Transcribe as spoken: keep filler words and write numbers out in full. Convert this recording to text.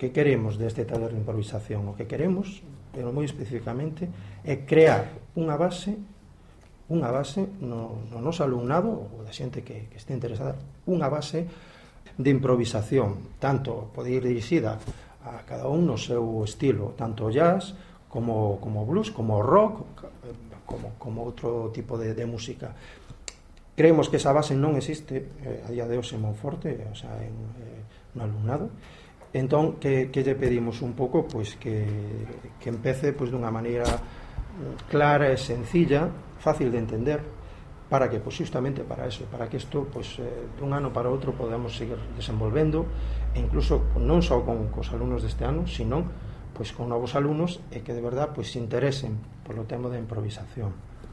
Que queremos deste taller de improvisación? O que queremos, pero moi especificamente, é crear unha base unha base no, no noso alumnado ou da xente que, que este interesada, unha base de improvisación, tanto pode ir dirixida a cada un no seu estilo, tanto jazz como, como blues, como rock, como, como outro tipo de, de música. Creemos que esa base non existe eh, a día de hoxe en Monforte, o sea, en, eh, no alumnado. Entón, que, que lle pedimos un pouco? Pois que, que empece pois, dunha maneira clara e sencilla, fácil de entender, para que, pois, justamente para eso, para que isto, pois, eh, dun ano para outro podamos seguir desenvolvendo, e incluso non só con cos alumnos deste ano, sino pois, con novos alumnos, e que de verdad pois, se interesen polo tema da improvisación.